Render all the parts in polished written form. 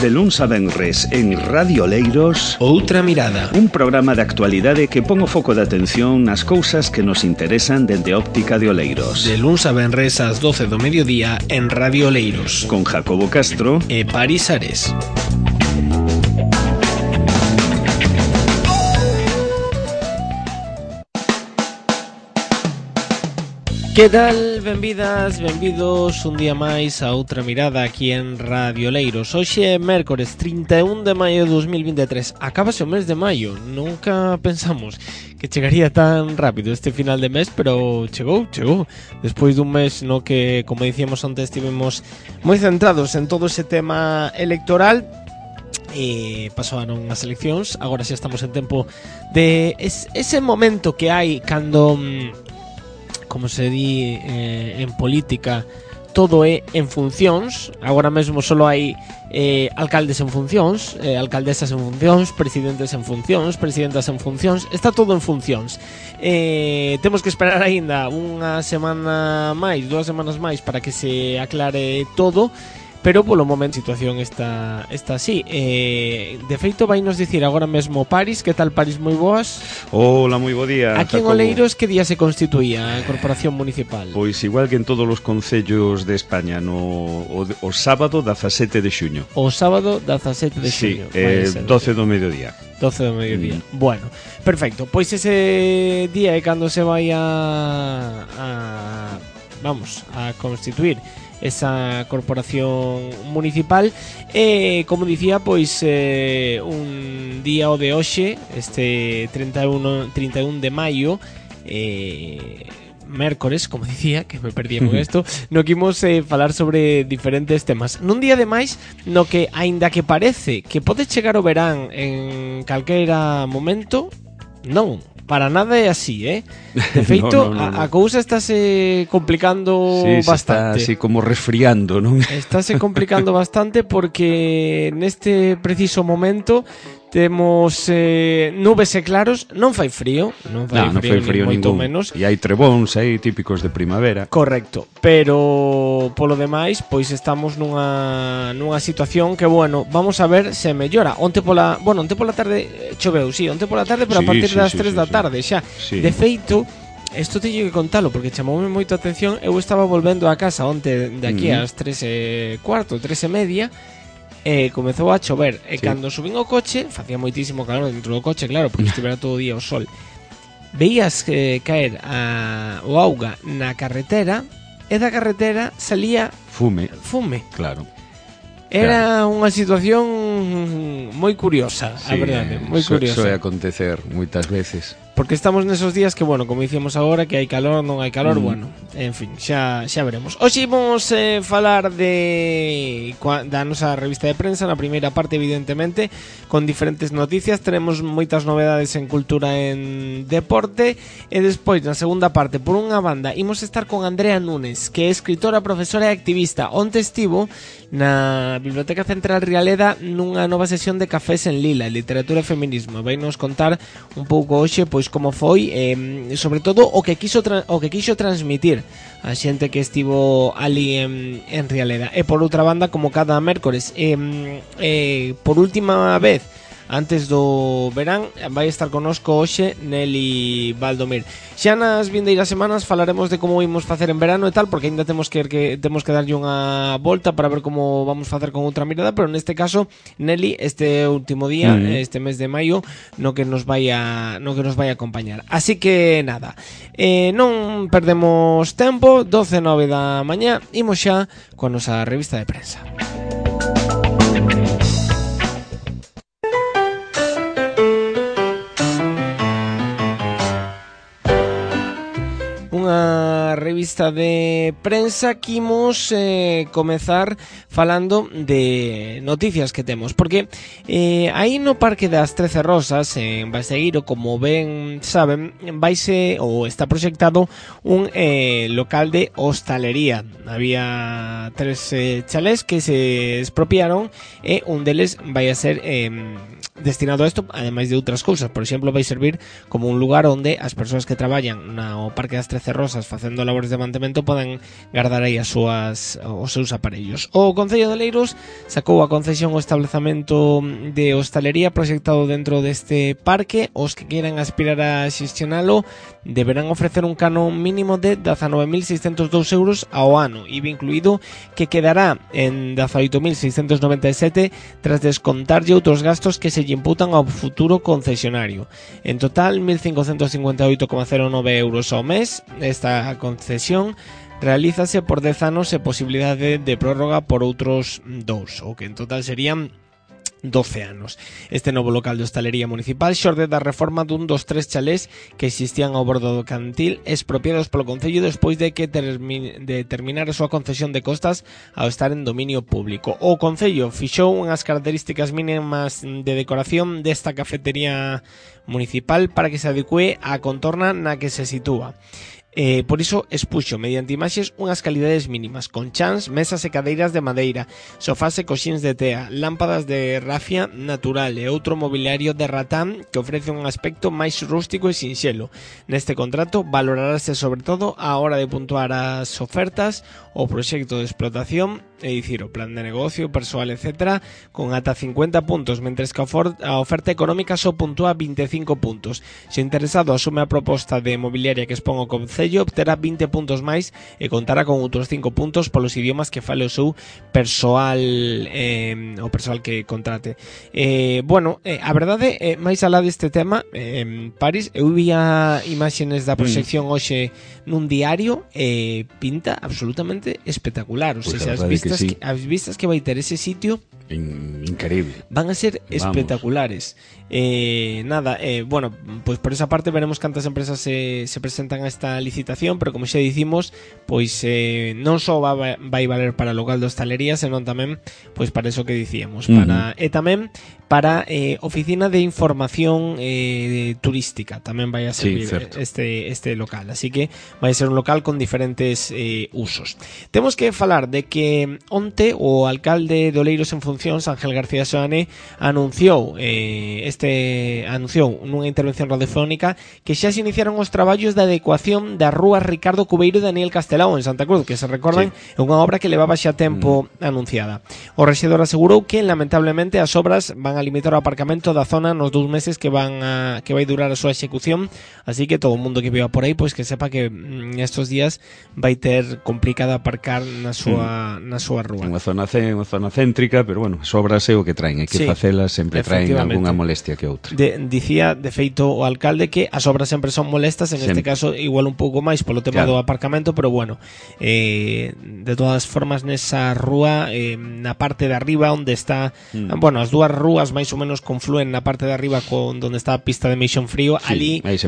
De luns a venres en Radio Oleiros, Outra Mirada, un programa de actualidade que pon o foco de atención nas cousas que nos interesan dende óptica de Oleiros. de luns a venres ás 12 do mediodía en Radio Oleiros, Con Jacobo Castro e Paris Ares. Que tal? Benvidas, benvidos un día máis a Outra Mirada aquí en Radio Oleiros. Hoxe é mércores 31 de maio de 2023. Acábase o mes de maio. Nunca pensamos que chegaría tan rápido este final de mes, pero chegou. Despois dun mes no que, como dicíamos antes, estivemos moi centrados en todo ese tema electoral. Pasaron as eleccións. Agora xa estamos en tempo de ese momento que hai cando... como se di en política, todo é en funcións. Agora mesmo só hai alcaldes en funcións, alcaldesas en funcións, presidentes en funcións, presidentas en funcións. Está todo en funcións. Temos que esperar aínda unha semana máis, 2 semanas máis, para que se aclare todo. Pero polo momento a situación está así. De feito, vai nos dicir agora mesmo Paris. Que tal, Paris? Moi boas. Hola, moi bo día, Aquí Jacobo. en Oleiros, que día se constituía a Corporación Municipal? Pois igual que en todos os concellos de España, o sábado 17 de xuño. O sábado 17 de xuño. Sí, 12 do mediodía. 12 do mediodía. Bueno, perfecto. Pois ese día é cando se vai a constituir esa corporación municipal. Como dicía, pois un día o de hoxe, este 31 de maio, mércores, como dicía, que me perdía con isto, no que imos falar sobre diferentes temas. Nun día de máis no que, aínda que parece que pode chegar o verán en calquera momento, non, para nada é así, De feito, no. a cousa estáse complicando bastante. Está así como resfriando, non? Estáse complicando bastante porque neste preciso momento temos nubes e claros. Non fai frío, non fai frío moito menos. E hai trebóns aí típicos de primavera. Correcto, pero polo demais, pois estamos nunha situación que, bueno, vamos a ver se mellora. Onte pola tarde choveu, onte pola tarde, pero a partir das 3 da tarde xa. Sí. De feito, isto teño que contalo porque chamoume moito a atención. Eu estaba volvendo a casa onte de aquí ás 3:15, 3:30. Comezou a chover. E cando subín o coche, facía moitísimo calor dentro do coche, claro, porque estivera todo o día o sol. Veías caer o auga na carretera, e da carretera salía fume. Claro. Era unha situación moi curiosa, a verdade, moi curiosa. Soe acontecer moitas veces. Porque estamos nesos días que, bueno, como dicíamos agora, que hai calor, non hai calor, bueno, en fin, xa veremos. Hoxe imos falar da nosa revista de prensa, na primeira parte, evidentemente, con diferentes noticias. Tenemos moitas novedades en cultura e en deporte, e despois, na segunda parte, por unha banda, imos estar con Andrea Núñez, que é escritora, profesora e activista. Onte estivo na Biblioteca Central Rialeda nunha nova sesión de Cafés en Lila, literatura e feminismo. Vai nos contar un pouco hoxe, pois, como foi, sobre todo o que quixo transmitir a xente que estivo ali en Rialeda. E por outra banda, como cada mércores, por última vez antes do verán, vai estar connosco hoxe Nelly Baldomir. Xa nas vindeiras semanas falaremos de como imos facer en verano e tal, porque ainda temos que darlle unha volta para ver como vamos facer con Outra Mirada, pero neste caso Nelly, este último día, este mes de maio, no que nos vai a acompañar. Así que nada, non perdemos tempo. 12:09 da mañá, imos xa con a nosa revista de prensa. Unha revista de prensa que imos comezar falando de noticias que temos, porque aí no Parque das 13 Rosas, en Basegueiro, como ben saben, vaise ou está proxectado un local de hostalería. Había 3 chalés que se expropiaron e un deles vai a ser destinado a isto, ademais de outras cousas. Por exemplo, vai servir como un lugar onde as persoas que traballan no Parque das 13 Rosas facendo labores de mantemento podan guardar aí os seus aparellos. O Concello de Oleiros sacou a concesión o establecemento de hostalería proxectado dentro deste parque. Os que queiran aspirar a xestionalo deberán ofrecer un canon mínimo de 19.602 euros ao ano, IVA incluído, que quedará en 18.697 tras descontarlle outros gastos que se lle imputan ao futuro concesionario. En total, 1.558,09 euros ao mes. Esta concesión realízase por 10 anos e posibilidade de prórroga por outros 2, o que en total serían 12 anos. Este novo local de hostalería municipal xorde da reforma dun dos 3 chalés que existían ao bordo do Cantil, expropiados polo Concello despois de que terminar a súa concesión de costas ao estar en dominio público. O Concello fixou unhas características mínimas de decoración desta cafetería municipal para que se adecue á contorna na que se sitúa. Por iso expuxo mediante imaxes unhas calidades mínimas, con chans, mesas e cadeiras de madeira, sofás e coxíns de tea, lámpadas de rafia natural e outro mobiliario de ratán que ofrece un aspecto máis rústico e sinxelo. Neste contrato valorarase sobre todo a hora de puntuar as ofertas, o proxecto de explotación, é dicir, o plan de negocio, persoal, etc., con ata 50 puntos, mentres que a oferta económica só puntúa 25 puntos. Se o interesado asume a proposta de mobiliaria que expón o Concello, obterá 20 puntos máis e contará con outros 5 puntos polos idiomas que fale o seu persoal, o persoal que contrate. A verdade, máis alá deste tema, Paris, eu vía imaxenes da proxección hoxe nun diario e pinta absolutamente espectacular. O sea, as vistas que vai ter ese sitio increíble, van a ser espectaculares. Pois por esa parte veremos cantas empresas se presentan a esta licitación, pero como xa dicimos, pois non só vai valer para local de hostalería, senón tamén pois para eso que dicíamos, e tamén para oficina de información turística, tamén vai a servir este local, así que vai ser un local con diferentes usos. Temos que falar de que onte o alcalde de Oleiros en funcións, Ángel García Soane, anunciou nunha intervención radiofónica que xa se iniciaron os traballos de adecuación das rúas Ricardo Cubeiro e Daniel Castelao en Santa Cruz, que se recordan é unha obra que levaba xa tempo anunciada. O rexedor asegurou que lamentablemente as obras van a limitar o aparcamento da zona nos 2 meses que vai durar a súa execución, así que todo o mundo que viva por aí pois que sepa que estos días vai ter complicado aparcar na súa rúa. Unha zona céntrica, pero bueno, as obras é o que traen, hai que facelas, sempre traen algunha molestia que outra. Dicía, de feito, o alcalde que as obras sempre son molestas, en este caso igual un pouco máis polo tema do aparcamento, pero bueno, de todas formas nesa rúa, na parte de arriba onde está, as dúas rúas máis ou menos confluen na parte de arriba con onde está a pista de Meixón Frío, ali hai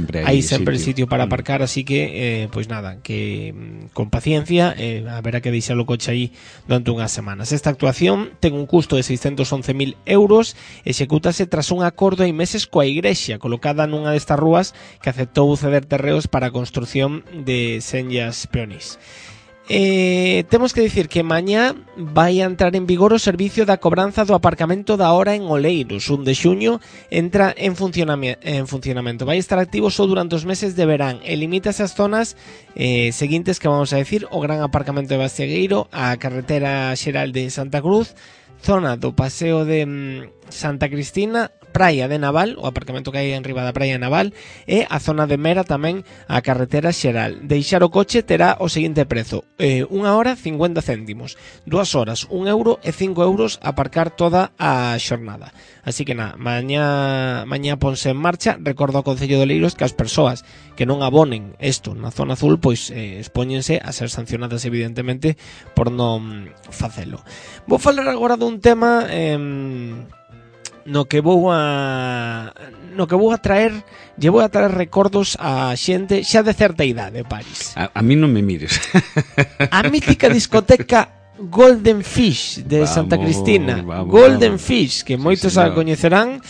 sempre sitio para aparcar, así que pois nada, que con paciencia haberá que deixar o coche aí durante unhas semanas. Esta actuación ten un custo de 611.000 euros, execútase tras un acordo hai meses coa Igrexa, colocada nunha destas rúas que aceptou ceder terreos para a construción de senllas peonís. Temos que dicir que mañá vai a entrar en vigor o servicio da cobranza do aparcamento da hora en Oleiros. 1 de xuño entra en funcionamento. Vai estar activo só durante os meses de verán e limítase as zonas seguintes que vamos a decir: o gran aparcamento de Bastegueiro, a carretera xeral de Santa Cruz, zona do paseo de Santa Cristina, Praia de Naval, o aparcamento que hai en riba da Praia de Naval, e a zona de Mera tamén a carretera xeral. Deixar o coche terá o seguinte prezo: 1 hora 50 céntimos, 2 horas 1 euro e 5 euros aparcar toda a xornada. Así que nada, mañá ponse en marcha. Recordo ao Concello de Oleiros que as persoas que non abonen isto na zona azul pois expóñense a ser sancionadas evidentemente por non facelo. Vou falar agora dun tema no que vou a traer recordos a xente xa de certa idade, Paris. A mí non me mires. A mítica discoteca Golden Fish de Santa Cristina, Golden Fish, que moitos a coñecerán,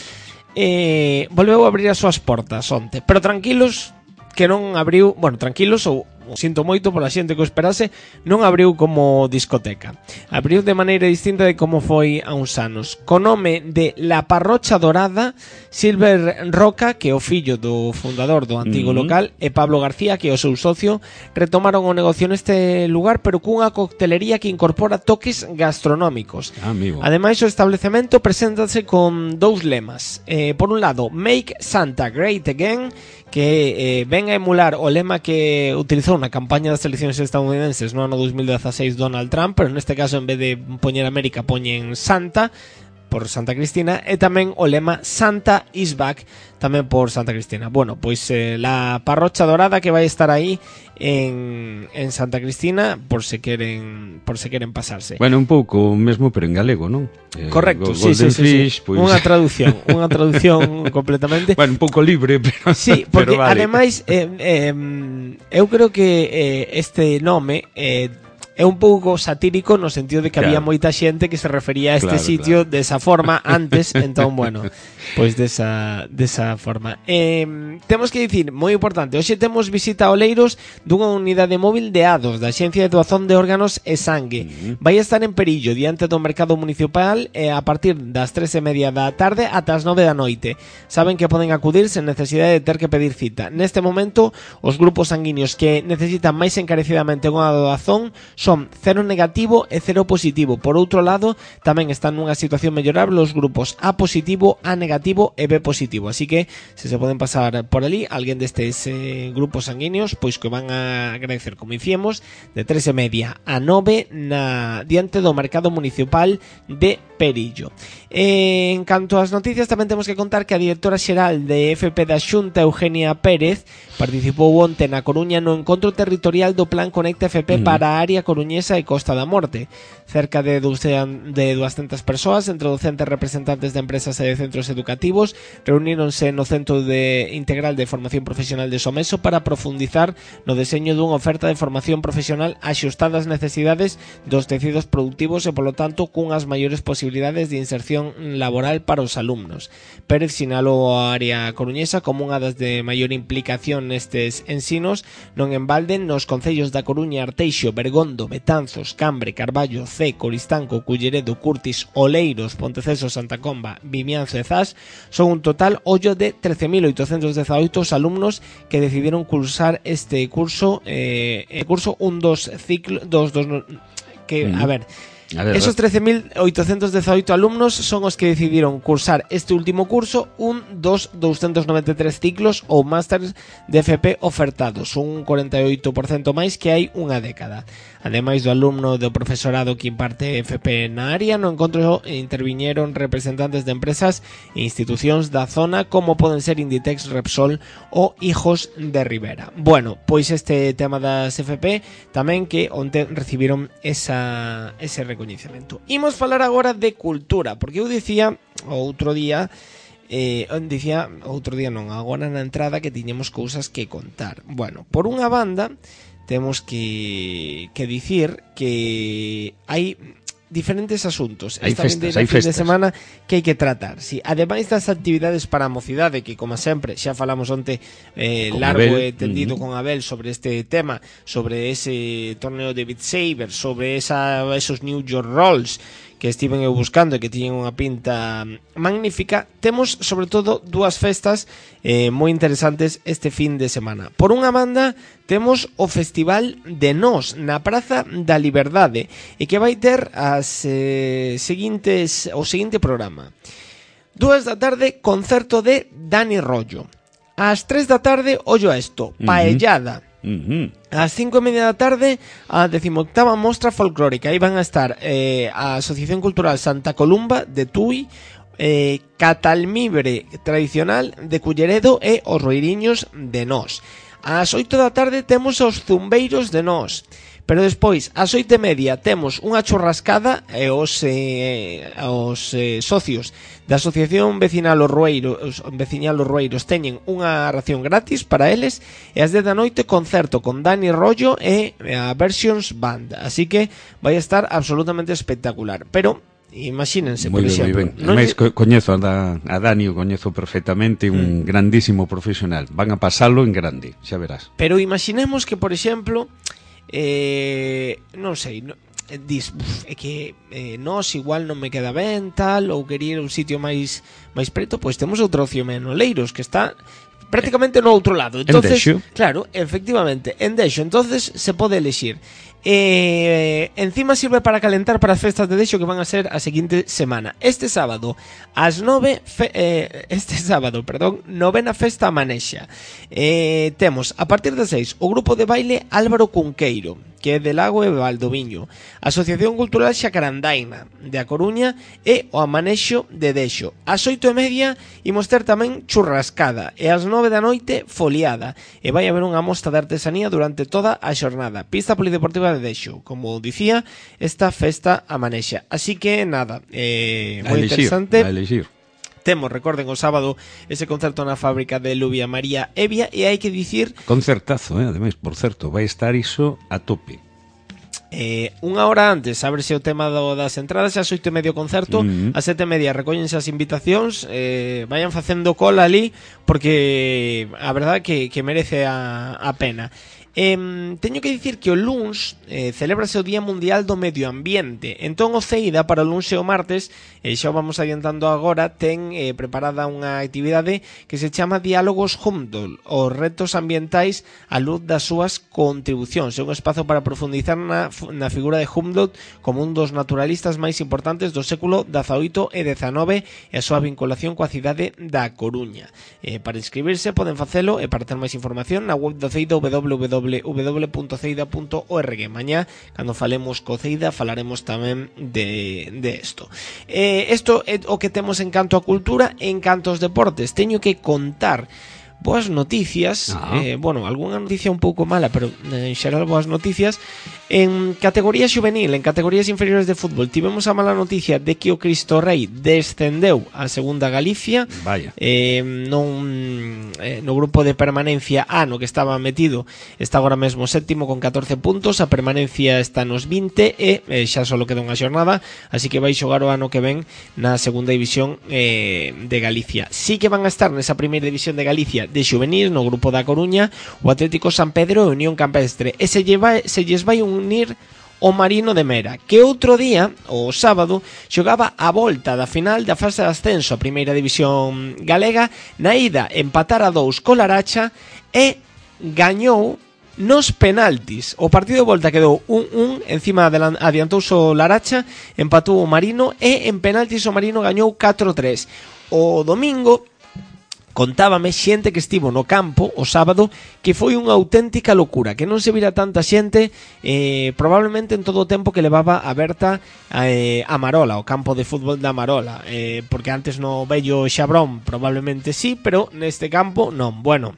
volveu a abrir as súas portas onte, pero tranquilos que non abriu, tranquilos ou o sinto moito pola xente que o esperase, non abriu como discoteca. Abriu de maneira distinta de como foi a uns anos. Con nome de La Parrocha Dorada, Silver Roca, que é o fillo do fundador do antigo local, e Pablo García, que é o seu socio, retomaron o negocio neste lugar, pero cunha coctelería que incorpora toques gastronómicos. Ademais, o establecemento preséntase con dous lemas. Por un lado, Make Santa Great Again, que ven a emular o lema que utilizou na campaña das eleccións estadounidenses no ano 2016 Donald Trump, pero neste caso en vez de poñer América poñen Santa, por Santa Cristina, e tamén o lema Santa is back, tamén por Santa Cristina. Bueno, pois la Parrocha Dorada que vai estar aí en Santa Cristina por se queren pasarse. Bueno, un pouco mesmo, pero en galego, non? Correcto, sí. Pois... Unha traducción completamente. Bueno, un pouco libre, pero sí, porque pero vale. Ademais eu creo que este nome é un pouco satírico no sentido de que había moita xente que se refería a este sitio desa forma antes, entón, bueno, pois desa forma. Temos que dicir, moi importante, hoxe temos visita a Oleiros dunha unidade móvil de ADOS, da Axencia de Doazón de Órganos e Sangue. Vai estar en Perillo, diante do mercado municipal, a partir das 3:30 da tarde ata as 9 da noite. Saben que poden acudir sen necesidade de ter que pedir cita. Neste momento, os grupos sanguíneos que necesitan máis encarecidamente unha doazón son cero negativo e cero positivo. Por outro lado, tamén están nunha situación mellorable os grupos A positivo, A negativo e B positivo. Así que, se poden pasar por ali, alguén destes grupos sanguíneos, pois que van a agradecer, como dicíamos, de 3:30 a 9 diante do mercado municipal de Perillo. En canto ás noticias, tamén temos que contar que a directora xeral de FP da Xunta, Eugenia Pérez, participou onte na Coruña no encontro territorial do Plan Conecta FP para a área coruñesa e Costa da Morte. Cerca de 200 persoas, entre docentes, representantes de empresas e de centros educativos, reuníronse no Centro Integral de Formación Profesional de Someso para profundizar no deseño dunha oferta de formación profesional axustada ás necesidades dos tecidos productivos e, polo tanto, cunhas maiores posibilidades de inserción laboral para os alumnos. Pérez sinalou a área coruñesa como unha das de maior implicación nestes ensinos, non en balde nos concellos da Coruña, Arteixo, Bergondo, Betanzos, Cambre, Carballo, Cee, Coristanco, Culleredo, Curtis, Oleiros, Ponteceso, Santa Comba, Vimianzo e Zas. Son un total ollo de 13.818 alumnos que decidiron cursar este curso, esos 13.818 alumnos son os que decidiron cursar este último curso, 293 ciclos ou másteres de FP ofertados, un 48% máis que hai unha década. Ademais do alumno do profesorado que imparte FP na área, no encontro interviñeron representantes de empresas e institucións da zona como poden ser Inditex, Repsol ou Hijos de Rivera. Bueno, pois este tema das FP tamén que onte recibiron ese recoñecemento. Imos falar agora de cultura, porque eu dicía agora na entrada que tiñemos cousas que contar. Bueno, por unha banda temos que dicir que hai diferentes asuntos esta fin de semana que hai que tratar. Sí, ademais das actividades para a mocidade, que como sempre xa falamos onte largo e tendido con Abel sobre este tema, sobre ese torneo de Beat Saber, sobre esos New York Rolls que estiven eu buscando e que tiñen unha pinta magnífica. Temos, sobre todo, dúas festas moi interesantes este fin de semana. Por unha banda, temos o Festival de Nós na Praza da Liberdade e que vai ter o seguinte programa. 2 da tarde, concerto de Dani Rollo. Ás 3 da tarde, ollo a esto, paellada. Ás 5:30 da tarde, a 18ª mostra folclórica. Aí van a estar a Asociación Cultural Santa Columba de Tui, Catalmibre tradicional de Culleredo e os Roiriños de Nós. Ás 8 da tarde temos os Zumbeiros de Nós. Pero despois, ás 8:30, temos unha churrascada e os socios da Asociación Vecinal Os Rueiros teñen unha ración gratis para eles, e ás 10 da noite concerto con Dani Rollo e a Versions Band. Así que vai estar absolutamente espectacular. Pero Imagínense, moi por ben, exemplo. moi ben. Ademais, coñezo a Dani, o coñezo perfectamente, un grandísimo profesional. Van a pasalo en grande, xa verás. Pero imaginemos que, por exemplo, non sei, dis, é que nós igual non me queda ben, tal, ou quería ir a un sitio máis preto, pois temos outra opción en Oleiros, que está prácticamente no outro lado. Entonces, claro, efectivamente, en Dexo, entonces se pode elegir. Encima sirve para calentar para as festas de Dexo que van a ser a seguinte semana. Este sábado ás 9 novena festa a Manexa. Temos a partir das 6 o grupo de baile Álvaro Cunqueiro, que é de Lago e Valdoviño, Asociación Cultural Xacarandaina de A Coruña e o Amanexo de Dexo. Ás 8:30 imos ter tamén churrascada e ás 9 da noite foliada, e vai haber unha mostra de artesanía durante toda a xornada. Pista polideportiva de Dexo, como dicía, esta festa Amanexa. Así que nada, moi interesante. A elixir. Temos, recorden, o sábado ese concerto na fábrica de Lubia María Evia, e hai que dicir... Concertazo, ademais, por certo, vai estar iso a tope. Unha hora antes ábrese o tema das entradas, ás 8:30 o concerto, ás 7:30 recóllense as invitacións, vayan facendo cola ali, porque a verdade que merece a pena. Teño que dicir que o luns celébrase o Día Mundial do Medio Ambiente. Entón o CEIDA para o luns e o martes, xa o vamos adiantando agora, ten preparada unha actividade que se chama Diálogos Humboldt, os retos ambientais á luz das súas contribucións. É un espazo para profundizar na figura de Humboldt como un dos naturalistas máis importantes do século XVIII e XIX e a súa vinculación coa cidade da Coruña. Para inscribirse poden facelo, e para ter máis información na web do CEIDA www.ceida.org. Mañá, cando falemos co CEIDA, falaremos tamén de isto. Isto é o que temos en canto a cultura. En canto aos deportes, teño que contar boas noticias, bueno, algunha noticia un pouco mala, pero en xeral boas noticias. En categoría xuvenil, en categorías inferiores de fútbol, tivemos a mala noticia de que o Cristo Rei descendeu a segunda Galicia. Vaya. No grupo de permanencia A, no que estaba metido, está agora mesmo séptimo con 14 puntos, a permanencia está nos 20 e xa só queda unha xornada, así que vai xogar o ano que ven na segunda división de Galicia. Sí que van a estar nesa primeira división de Galicia de xuvenil, no grupo da Coruña, o Atlético San Pedro e Unión Campestre, e se lles vai unir o Marino de Mera, que outro día, o sábado, xogaba a volta da final da fase de ascenso a primeira división galega. Na ida empatar a 2 co Laracha e gañou nos penaltis. O partido de volta quedou 1-1, encima adiantouse o Laracha, empatou o Marino e en penaltis o Marino gañou 4-3. O domingo contábame xente que estivo no campo o sábado que foi unha auténtica locura, que non se vira tanta xente probablemente en todo o tempo que levaba aberta a Marola, o campo de fútbol da Marola, porque antes no vello Xabrón probablemente sí, pero neste campo non. Bueno,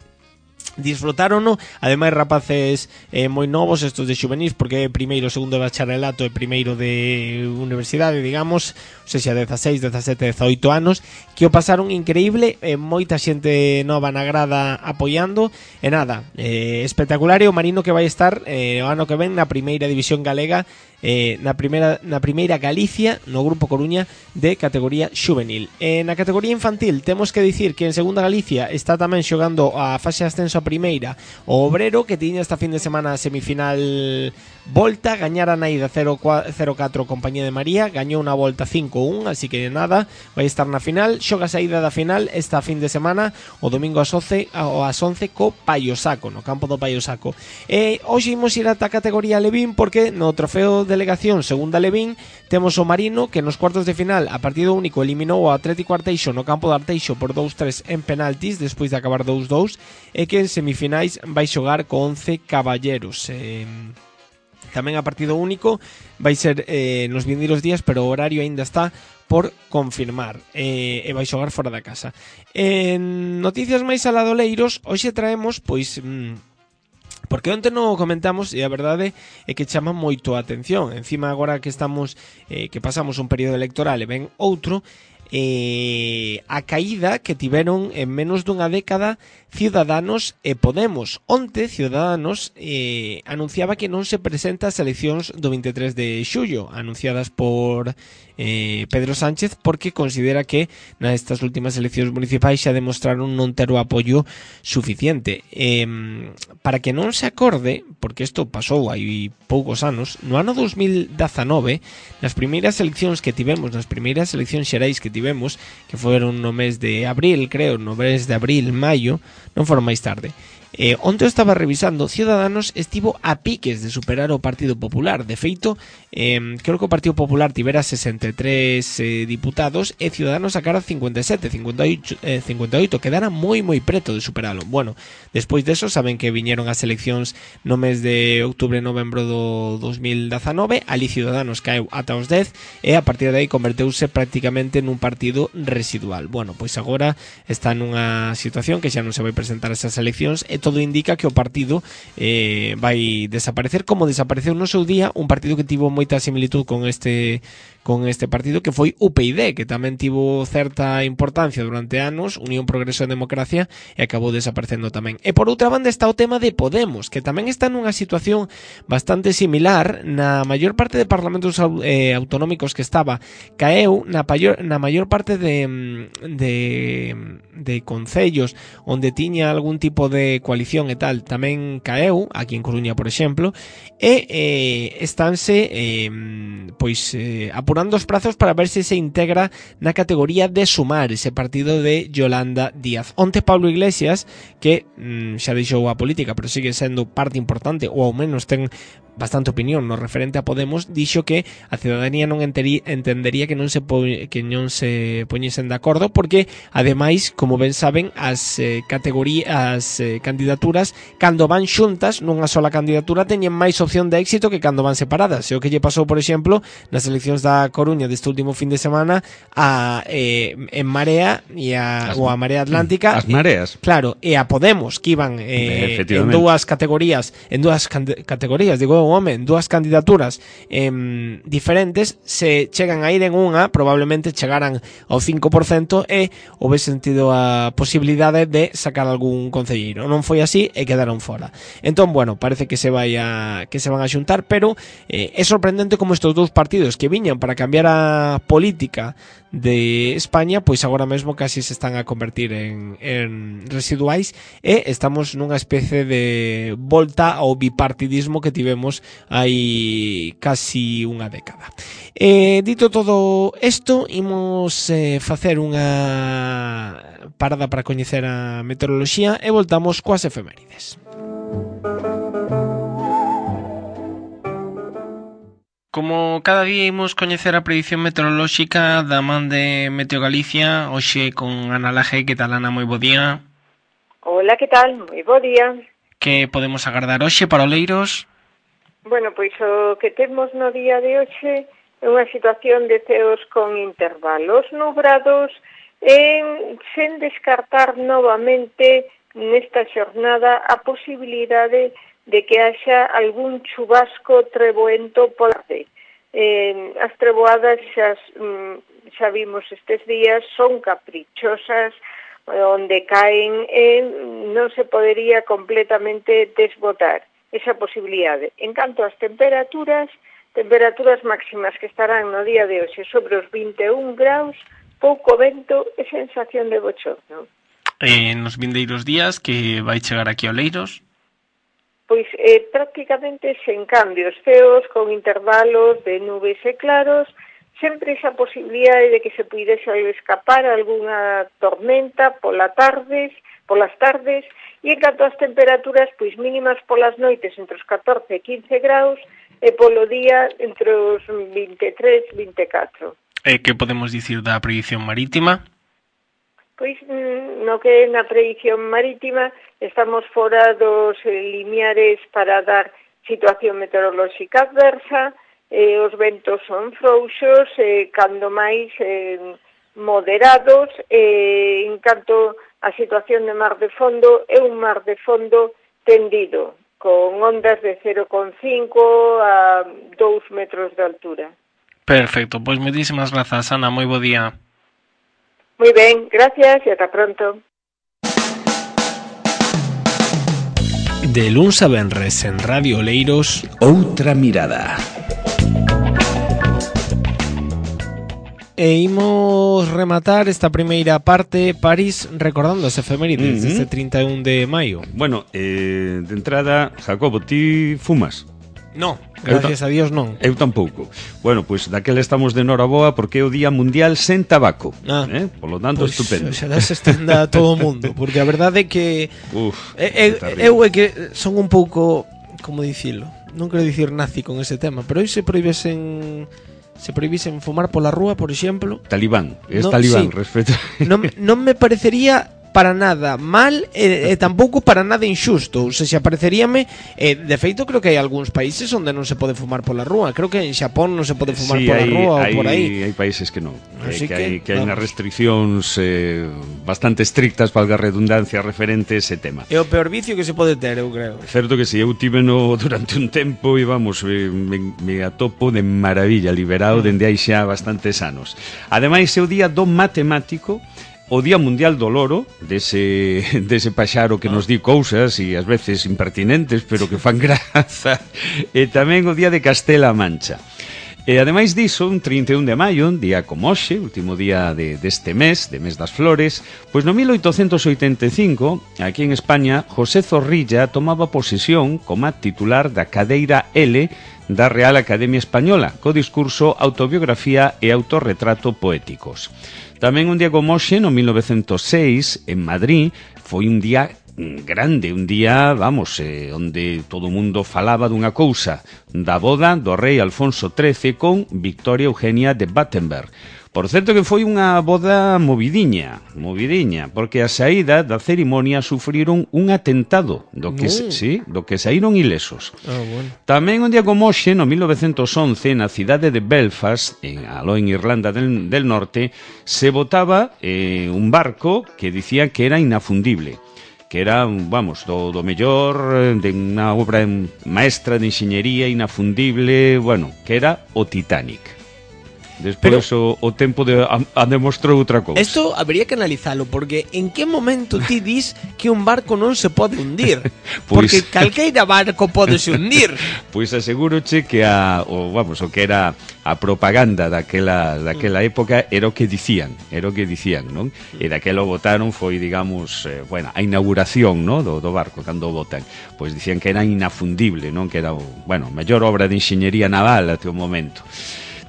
disfrutárono, ademais rapaces moi novos, estos de xuvenis, porque é primeiro, segundo de bacharelato e primeiro de universidade, digamos, ou seja, 16, 17, 18 anos, que o pasaron increíble, moita xente nova na grada apoiando, e nada, espectacular. E o Marino que vai estar o ano que ven na primeira división galega, na primeira Galicia, no grupo Coruña de categoría xuvenil. Na categoría infantil temos que dicir que en segunda Galicia está tamén xogando a fase de ascenso a primeira o Obrero, que tiña esta fin de semana a semifinal volta, gañara na ida 0-4 Compañía de María, gañou na volta 5-1, así que nada, vai estar na final. Xoga a saída da final esta fin de semana o domingo ás 11 co Paio Saco, no campo do Paio Saco. Hoxe imos ir ata a categoría Levín, porque no trofeo delegación segunda Levín temos o Marino, que nos cuartos de final a partido único eliminou o Atlético Arteixo no campo de Arteixo por 2-3 en penaltis despois de acabar 2-2, e que en semifinais vai xogar co 11 Caballeros. Tamén a partido único vai ser nos vindeiros días, pero o horario aínda está por confirmar, e vai xogar fora da casa. En noticias máis aladoleiros, hoxe traemos, pois, porque onte non o comentamos, e a verdade é que chama moito a atención. Encima agora que estamos que pasamos un período electoral e ven outro, a caída que tiveron en menos dunha década Ciudadanos e Podemos. Onte, Ciudadanos anunciaba que non se presenta as eleccións do 23 de xullo, anunciadas por Pedro Sánchez, porque considera que nestas últimas eleccións municipais xa demostraron non ter o apoio suficiente. Para que non se acorde, porque isto pasou hai poucos anos, no ano 2019, nas primeiras eleccións que tivemos, nas primeiras eleccións xerais que tivemos, que foron no mes de abril, creo, no mes de abril, maio, non foron máis tarde. Onte eu estaba revisando, Ciudadanos estivo a piques de superar o Partido Popular. De feito, creo que o Partido Popular tivera 63 diputados e Ciudadanos sacara 57, 58, quedara moi preto de superalo. Bueno, despois deso saben que viñeron as eleccións no mes de outubro e novembro do 2019, ali Ciudadanos caeu ata os 10 e a partir de aí converteuse prácticamente nun partido residual. Bueno, pois agora está nunha situación que xa non se vai presentar esas eleccións e todo indica que o partido vai desaparecer, como desapareceu no seu día un partido que tivo moita similitud con este partido, que foi UPyD, que tamén tivo certa importancia durante anos, Unión Progreso e Democracia, e acabou desaparecendo tamén. E por outra banda está o tema de Podemos, que tamén está nunha situación bastante similar. Na maior parte de parlamentos autonómicos que estaba, caeu na maior parte de concellos onde tiña algún tipo de coalición e tal, tamén caeu, aquí en Coruña, por exemplo, e estánse apurando os prazos para ver se integra na categoría de Sumar, ese partido de Yolanda Díaz. Onte Pablo Iglesias, que xa deixou a política, pero sigue sendo parte importante, ou ao menos ten bastante opinión no referente a Podemos, dixo que a ciudadanía non entendería que non se poñesen de acordo, porque ademais, como ben saben, as candidaturas cando van xuntas nunha sola candidatura teñen máis opción de éxito que cando van separadas. E o que lle pasou, por exemplo, nas eleccións da Coruña deste último fin de semana en Marea e a Marea Atlántica, as mareas, claro, e a Podemos, que iban en dúas categorías, en dúas candidaturas diferentes, se chegan a ir en unha, probablemente chegaran ao 5% e houvese sentido a posibilidade de sacar algún concelleiro. Non foi así e quedaron fora. Entón, bueno, parece que se van a xuntar, pero é sorprendente como estes dous partidos que viñan para cambiar a política de España, pois agora mesmo casi se están a convertir en residuais, e estamos nunha especie de volta ao bipartidismo que tivemos hai casi unha década. Dito todo isto, imos facer unha parada para coñecer a meteoroloxía e voltamos coas efemérides. Como cada día imos coñecer a predición meteorolóxica da man de Meteo Galicia, hoxe con Ana Laje. Que tal, Ana? Moi bo día. Hola, que tal? Moi bo día. Que podemos agardar hoxe para Oleiros? Bueno, pois o que temos no día de hoxe é unha situación de ceos con intervalos nubrados, sen descartar novamente nesta xornada a posibilidade de que haxa algún chubasco treboento pola tarde. As treboadas xa vimos estes días, son caprichosas, onde caen non se podería completamente desbotar esa posibilidade. En canto ás temperaturas máximas que estarán no día de hoxe sobre os 21 graus, pouco vento e sensación de bochorno. Nos vindeiros días que vai chegar aquí a Oleiros? Pois prácticamente sen cambios, ceos con intervalos de nubes e claros, sempre esa posibilidade de que se puidese escapar algunha tormenta polas tardes, e en canto ás temperaturas, pois mínimas polas noites entre os 14 e 15 graus, e polo día entre os 23 e 24. Que podemos dicir da predición marítima? Pois no que na predición marítima estamos fora dos limiares para dar situación meteorolóxica adversa, os ventos son frouxos, cando máis moderados, en canto a situación de mar de fondo é un mar de fondo tendido, con ondas de 0,5 a 2 metros de altura. Perfecto, pois moitísimas grazas, Ana, moi bo día. Moi ben, gracias e ata pronto. De luns a venres en Radio Oleiros, Outra mirada. e imos rematar esta primeira parte París recordando as efemérides deste 31 de maio. Bueno, de entrada, Jacobo, ti fumas? No, gracias a Dios non. Eu tampouco. Bueno, pois daquela estamos de noraboa porque é o Día Mundial sen tabaco. Polo tanto, Pois, estupendo. Xalá se estenda a todo o mundo, porque a verdade é que eu é que son un pouco, como dicilo, non quero dicir nazi con ese tema, pero hoy se prohibisen fumar pola rúa, por exemplo. Talibán, No, talibán, sí. respecto. Non me parecería para nada mal e tampouco para nada injusto. Ou seja, pareceríame de feito creo que hai algúns países onde non se pode fumar pola rúa. Creo que en Xapón non se pode fumar pola rúa ou por aí. Hai países que non. Así Hai vamos. unhas restriccións bastante estrictas, valga a redundancia, referente a ese tema. É o peor vicio que se pode ter, eu creo. Certo que si, eu tiveno durante un tempo e vamos, me atopo de maravilla, liberado dende hai xa bastantes anos. Ademais, é o día do matemático, o Día Mundial do Loro, dese paxaro que nos di cousas e ás veces impertinentes, pero que fan graza, e tamén o Día de Castela-A Mancha. E ademais diso, un 31 de maio, un día como hoxe, último día deste mes, de mes das flores, pois no 1885, aquí en España, José Zorrilla tomaba posesión como titular da cadeira L da Real Academia Española, co discurso Autobiografía e Autorretrato Poéticos. Tamén un día como hoxe, no 1906, en Madrid, foi un día grande, un día, vamos, onde todo o mundo falaba dunha cousa, da boda do rei Alfonso XIII con Victoria Eugenia de Battenberg. Por certo que foi unha boda movidiña, porque a saída da cerimonia sufriron un atentado, do que saíron ilesos. Bueno. Tamén un día como hoxe, no 1911, na cidade de Belfast, aló en Irlanda del Norte, se botaba un barco que dicía que era inafundible, que era, vamos, do mellor, de unha obra maestra de enxeñería inafundible, bueno, que era o Titanic. Despois o tempo demostrou outra cousa. Isto habería que analizalo, porque en que momento ti dis que un barco non se pode hundir? Porque calqueira barco pode se hundir. Pois aseguroche que o que era a propaganda daquela época era o que dicían, non? E daquela botaron foi, digamos, a inauguración, non, do barco cando o botan. Pois dicían que era inafundible, non? Que era, mellor obra de enxeñería naval até o momento.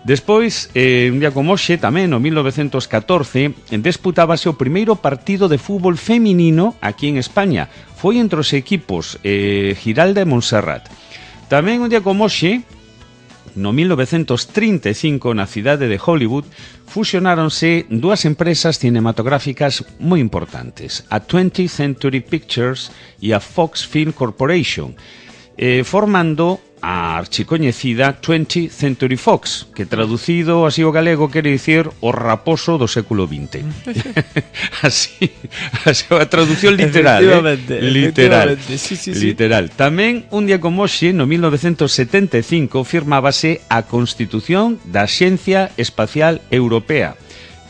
Despois, un día como hoxe, tamén, no 1914, disputábase o primeiro partido de fútbol feminino aquí en España. Foi entre os equipos Giralda e Montserrat. Tamén un día como hoxe, no 1935, na cidade de Hollywood, fusionáronse dúas empresas cinematográficas moi importantes, a 20th Century Pictures e a Fox Film Corporation, formando a archicoñecida 20th Century Fox, que traducido así ao galego quere dicir o raposo do século XX. así a traducción literal, literal. Sí. Literal. Tamén un día como hoxe, no 1975, firmábase a Constitución da Axencia Espacial Europea,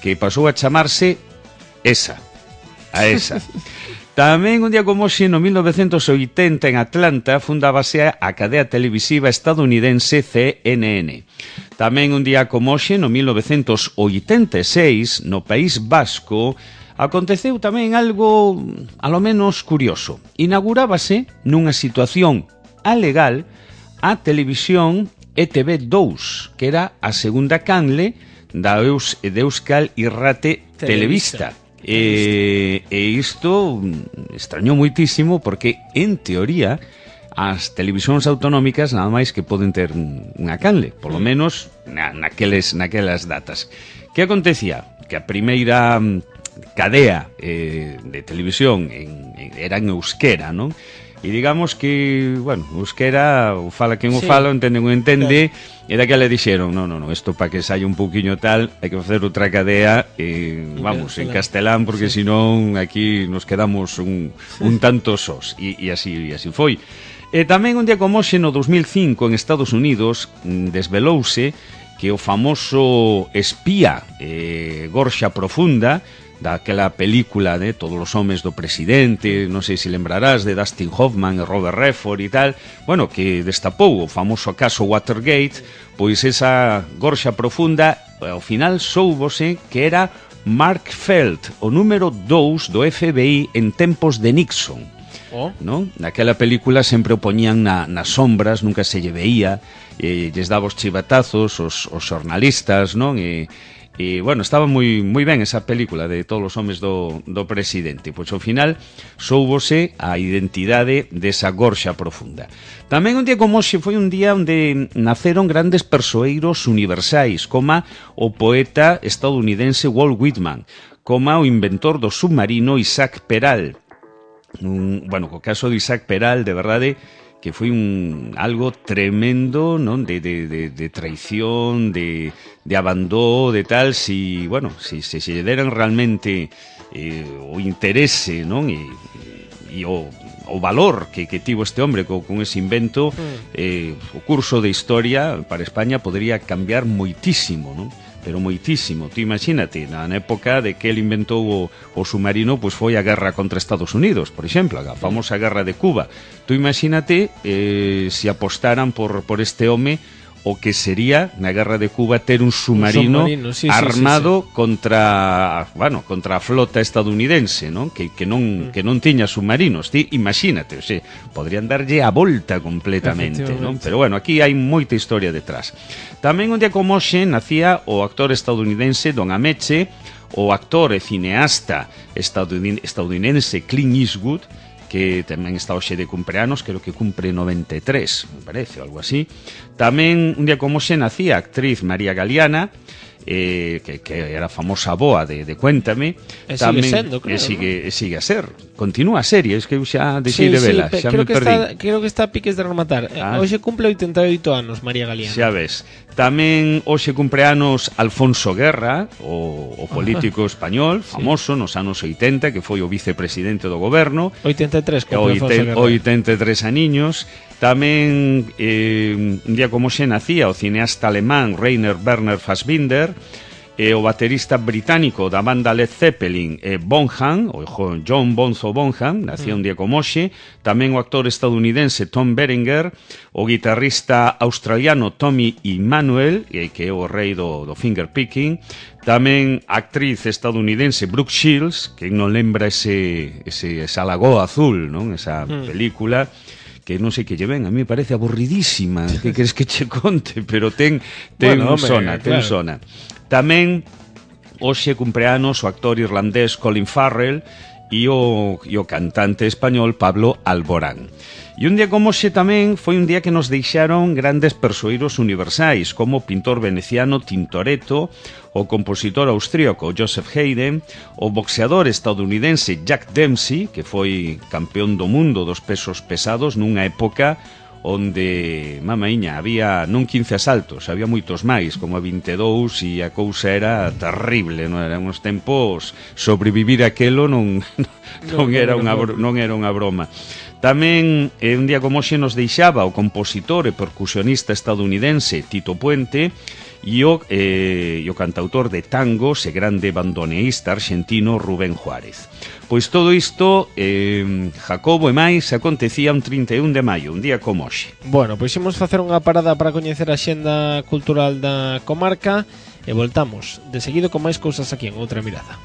que pasou a chamarse ESA. Tamén un día como hoxe, no 1980, en Atlanta, fundábase a cadea televisiva estadounidense CNN. Tamén un día como hoxe, no 1986, no País Vasco, aconteceu tamén algo, alo menos, curioso. Inaugurábase nunha situación alegal a televisión ETV2, que era a segunda canle da Euskal Irrate Telebista. E isto extrañou moitísimo porque, en teoría, as televisións autonómicas nada máis que poden ter unha canle, polo menos naquelas datas. Que acontecía? Que a primeira cadea de televisión era en euskera, non? E digamos que, euskera, o fala quen o fala, entende quen entende, claro. E daquela dixeron, non, isto para que saia un pouquiño tal, hai que facer outra cadea, en castelán, porque senón aquí nos quedamos un tanto sós, e así foi. E tamén un día como hoxe, no 2005, en Estados Unidos, desvelouse que o famoso espía Gorxa Profunda daquela película de Todos os homes do presidente, non sei se lembrarás, de Dustin Hoffman e Robert Redford e tal, bueno, que destapou o famoso caso Watergate, pois esa gorxa profunda, ao final soubose que era Mark Felt, o número 2 do FBI en tempos de Nixon. ¿No? Naquela película sempre o poñían nas sombras, nunca se lle veía, lles daba os chivatazos os xornalistas, non? E bueno, estaba moi ben esa película de Todos os homes do presidente. Pois ao final soubose a identidade desa gorxa profunda. Tamén un día como hoxe foi un día onde naceron grandes persoeiros universais, como o poeta estadounidense Walt Whitman, como o inventor do submarino Isaac Peral. Bueno, co caso de Isaac Peral, de verdade, que foi algo tremendo, non? De traición, de abandó, de tal, si se lle deran realmente o interese, non? E o valor que tivo este hombre con ese invento, o curso de historia para España podría cambiar moitísimo, non? Pero moitísimo. Tú imagínate, na época de que ele inventou o submarino, pois foi a guerra contra Estados Unidos, por exemplo, a famosa guerra de Cuba. Tú imagínate se apostaran por este home o que sería na guerra de Cuba ter un submarino armado contra a flota estadounidense, non? Que non tiña submarinos. Ti imagínate, o sea, podrían darlle a volta completamente, non? Pero bueno, aquí hai moita historia detrás. Tamén un día como hoxe nacía o actor estadounidense Don Ameche, o actor e cineasta estadounidense Clint Eastwood, que tamén está hoxe de cumpleanos, creo que cumpre 93, me parece, algo así. Tamén un día como hoxe nacía a actriz María Galeana, que era famosa boa de Cuéntame. E sigue sendo, creo, sigue a ser. Continúa a serie, es que eu xa deixei de vela, xa me perdí. Creo que está a piques de rematar. Hoxe cumple 88 anos María Galeana. Xa ves. Tamén hoxe cumpleanos Alfonso Guerra, o político español, famoso nos anos 80, que foi o vicepresidente do goberno. 83, como Alfonso Guerra. 83 aniños. Tamén un día como xe nacía o cineasta alemán Rainer Werner Fassbinder, o baterista británico da banda Led Zeppelin Bonham, o John Bonzo Bonham, nacía un día como hoxe. Tamén o actor estadounidense Tom Berenger, o guitarrista australiano Tommy Emmanuel, que é o rei do fingerpicking. Tamén a actriz estadounidense Brooke Shields, que non lembra esa Lagoa Azul, non? Esa película que non sei que lle ven, a mí me parece aburridísima, que queres que che conte, pero ten sona. Tamén hoxe cumpleanos o actor irlandés Colin Farrell e o cantante español Pablo Alborán. E un día como hoxe tamén foi un día que nos deixaron grandes persoeiros universais, como o pintor veneciano Tintoretto, o compositor austríaco Joseph Haydn, o boxeador estadounidense Jack Dempsey, que foi campeón do mundo dos pesos pesados nunha época onde, mamaíña, había non 15 asaltos, había moitos máis, como a 22, e a cousa era terrible, non eran uns tempos, sobrevivir aquelo non era unha broma. Tamén un día como hoxe nos deixaba o compositor e percusionista estadounidense Tito Puente e o cantautor de tangos e grande bandoneísta argentino Rubén Juárez. Pois todo isto, Jacobo e máis, acontecía un 31 de maio, un día como hoxe. Bueno, pois imos facer unha parada para coñecer a xenda cultural da comarca e voltamos de seguido con máis cousas aquí en Outra Mirada.